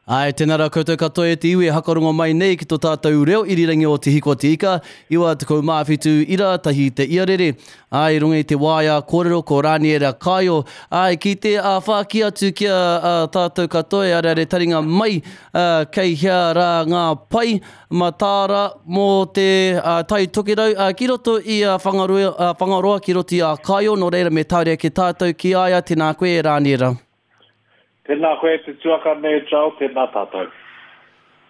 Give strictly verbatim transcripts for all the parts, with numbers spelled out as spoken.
Ai, tēnā rā koutou katoa e te iwi e hakarongo mai nei ki tō tātou reo irirangi o Te Hiko Te Ika, iwa tekau mā whitu ira tahi te iarere. Ai, runga i te waea kōrero ko Raniera Kaio. Ai, ki te whāki atu ki a, a tātou katoa e areare taringa mai, a, kei hea rā ngā pai mataara mō te a, Tai Tokerau, a, ki roto i a Whangaroa, a, Whangaroa ki roto i a Kaio, nō reira me tāria ke tātou ki a ia, tēnā koe e Raniera. Tēnā koe te tuakana e Joel, tēnā tātou.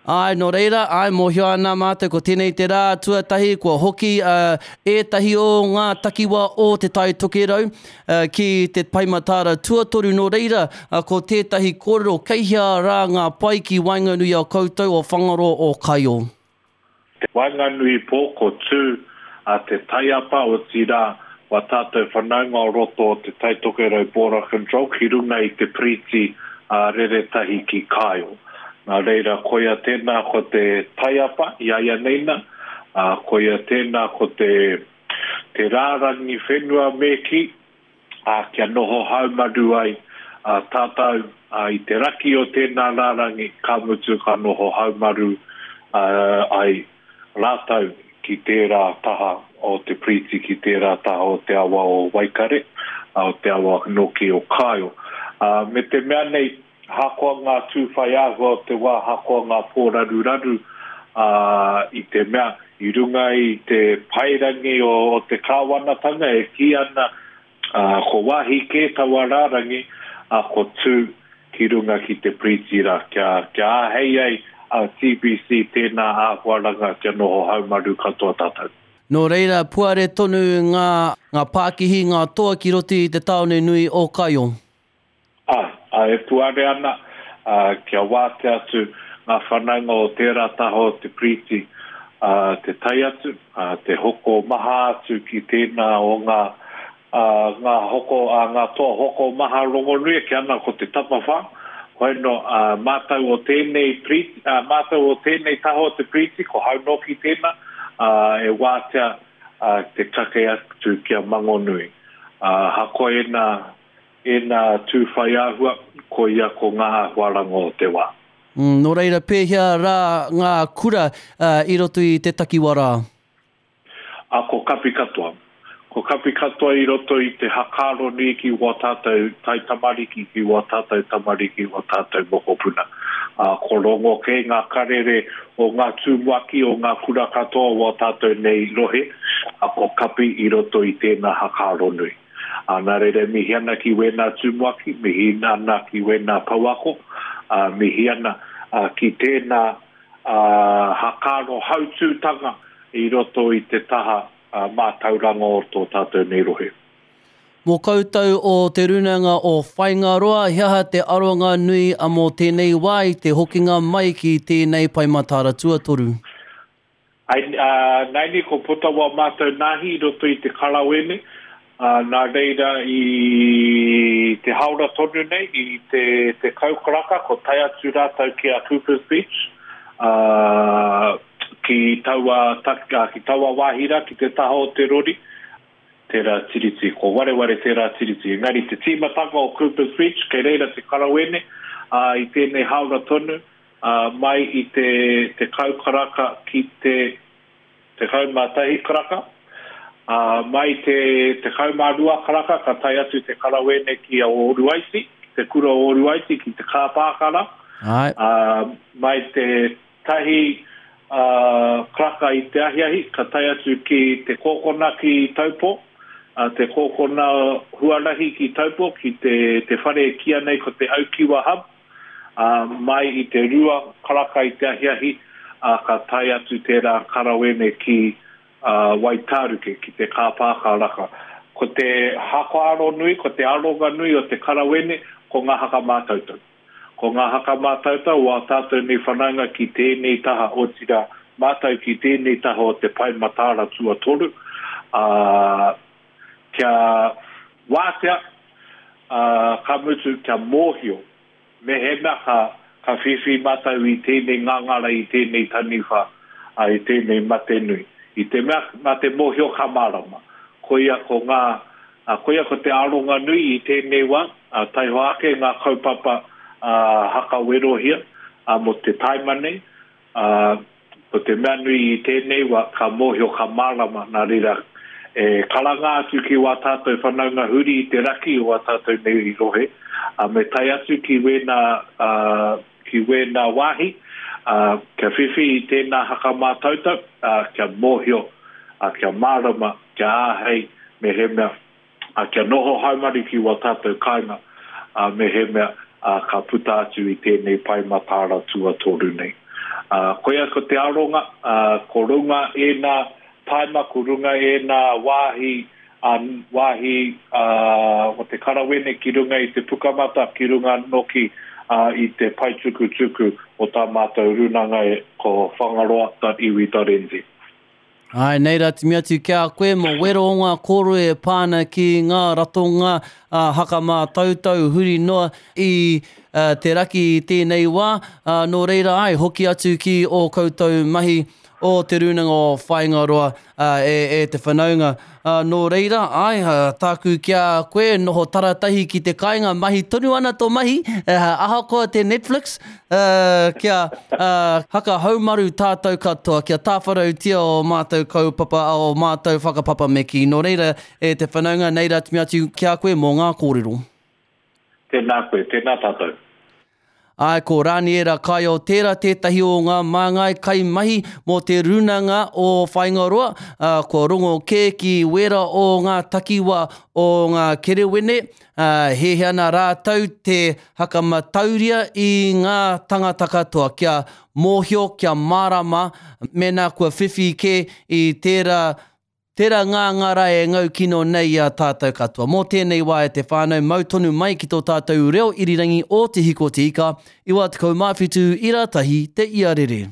Ai, nō reira, ai, mōhio ana mātou ko tēnei te rā tuatahi kua hoki uh, ētahi o ngā takiwa o te Tai Tokerau uh, ki te pae mataara tuatoru. Nō reira, uh, ko tētahi kōrero kei hea rā ngā pai ki waenganui a koutou o Whangaroa o Kaio. Te waenganui pō ko tū a te taiapa o tira wa tātou whanaunga o roto o te Tai Tokerau Border Control ki runga i te priti a reretahi ki Kaio. Nā reira, koia tēnā ko te taiapa i aia neina, a, koia tēnā ko te, te rārangi whenua me ki, a, kia noho haumaru ai a, tātou a, i te raki o tēnā rārangi, ka mutu ka noho haumaru a, ai rātou ki tērā taha o te priti, ki tērā taha o te awa o Waikare, o te awa noki o Kaio. Uh, me te mea nei, hakoa ngā tūwhai āhua o te wā, hakoa ngā pōraruraru uh, i te mea, i runga i te pairangi o, o te kāwanatanga e kī ana uh, ko wāhi kē taua rārangi, uh, ko tū ki runga ki te priti rā, kia, kia āhei ai a T B C tēnā āhuaranga kia noho haumaru katoa tātou. Nō reira, puare tonu ngā, ngā pākihi, ngā toa ki roto i te tāone nui o Kaio. Ai, ai, e puare ana, a, kia wātea atu ngā whanaunga o tērā taha o te priti, a, te tai atu, a, te hoko maha atu ki tēnā o ngā, a, ngā, hoko, a, ngā toa hoko maha rongonui, ki ana ko te tapawhā. Hoino, a, mātou o tēnei priti, a, mātou o tēnei taha o te priti, ko haunoki tēnā, a, e wātea a, te kake atu kia Mangonui. A, hakoa ēnā, ēnā tūwhai āhua, ko ia ko ngā āhuaranga o te wā. Mm, nō reira, pēhea rā ngā kura uh, i roto i te takiwa rā? A, ko kapi katoa. Ko kapi katoa i roto i te hakaro nui ki wā tātou tai tamariki, ki wā tātou tamariki, wā tātou mokopuna. A, ko rongo kē ngā karere o ngā tumuaki o ngā kura katoa wā tātou nei rohe, a, ko kapi i roto i tēnā hakaro nui. A, nā reira, mihi ana ki wēnā tumuaki, mihi ana ki wēnā pouako, a, mihi ana a, ki tēnā a, hakaro hautūtanga i roto i te taha a, mātauranga o tō tātou nei rohe. Mō koutou o te rūnanga o Whaingaroa, he aha te aronga nui a mō tēnei wā i te hokinga mai ki tēnei pae mataara tuatoru? Ai, uh, naini ko puta wā mātou nāhi i roto i te karawene, uh, nā reira i te haora tonu nei, i te, te kaukaraka, ko tae atu rātou ki a Coopers Beach, uh, ki taua, ki taua wāhi rā, ki te taha o te rori, tērā tiriti, ko wareware tērā tiriti. Engari te tīmatanga o Coopers Beach, kei reira te karawene, uh, i tēnei haora tonu, uh, mai i te, te kaukaraka ki te tekau mā tahi karaka, uh, mai te tekau mā rua karaka, ka tae atu te karawene ki a Oruaiti, ki te kura o Oruaiti, ki te kāpākara. Ai. Uh, mai te tahi uh, karaka i te ahiahi, ka tae atu ki te kōkona ki Taupo, uh, te kōkona huarahi ki Taupo, ki te, te whare e kīia nei ko te Aukiwa Hub, uh, mai i te rua karaka i te ahiahi, uh, ka tae atu tērā karawene ki uh, Waitāruke, ki te kāpākaraka. Ko te hakaaro nui, ko te aronga nui o te karawene, ko ngā haka mātautau. Ko ngā haka mātautau wā tātou nei whanaunga ki tēnei taha, otirā mātau ki tēnei taha o te pae mataara tuatoru, uh, kia wātea, uh, ka mutu, kia mōhio, mehemea ka, ka whiwhi mātou i tēnei ngāngara, i tēnei taniwha, uh, i tēnei mate nui. I te mea, mā te mōhio ka mārama. Koia ko ngā, uh, koia ko te aronga nui i tēnei wā, uh, taihoa ake ngā kaupapa uh, hakawerohia, ā, mō te taima nei, ā, ko te mea nui i tēnei wā, ka mōhio, ka mārama, nā reira, e karanga atu ki wā tātou whanaunga huri i te raki o wā tātou nei rohe, ā, me tae atu ki wēnā, ā, ki wēnā wāhi, ā, kia whiwhi i tēnā hakamātautau, ā, kia mōhio, ā, kia mārama, kia āhei, mehemea, ā, kia noho haumaru ki wā tātou kāinga, ā, mehemea, ā, ka puta atu i tēnei pae mataara tuatoru nei. Ā, koia ko te aronga, ā, ko runga ēnā taima, ko runga ēnā wāhi, ā, wāhi, ā, o te karawene ki runga i te pukamata, ki runga noki, ā, i te pae tukutuku o tā mātou rūnanga e, ko whangaroa dot iwi dot N Z. Āe, nei rā te mea atu ki a koe mō wero o ngā kōrero e pā ana ki ngā ratonga hakamātautau huri noa i te raki i tēnei wā. Nō reira, āe, hoki atu ki ō koutou mahi o Te Rūnanga o Whāingaroa e, e te whanaunga. Nō reira, āe, tāku ki a koe, noho taratahi ki te kāinga, mahi tonu ana tō mahi, ahakoa te Netflix, kia haka haumaru tātou katoa, kia tāwharautia o mātou kaupapa, o mātou whakapapa me kī. Nō reira, e te whanaunga, nei rā te mea atu ki a koe mō ngā kōrero. Tēnā koe, tēnā tātou. Āe, ko Raniera Kaio tērā tētahi o ngā māngai kaimahi mō te Rūnanga o Whāingaroa, ā, kua rongo kē ki wērā o ngā takiwā o ngā kerewene, ā, hiahia ana rātou te hakamatauria i ngā tangata katoa kia mōhio, kia mārama mēnā kua whiwhi kē i tērā Tērā ngā ngārae e ngau kino nei i a tātou katoa. Mō tēnei wā e te whānau, mau tonu mai ki tō tātou reo irirangi o Te Hiko Te Ika, iwa tekau mā whitu ira tahi te iarere.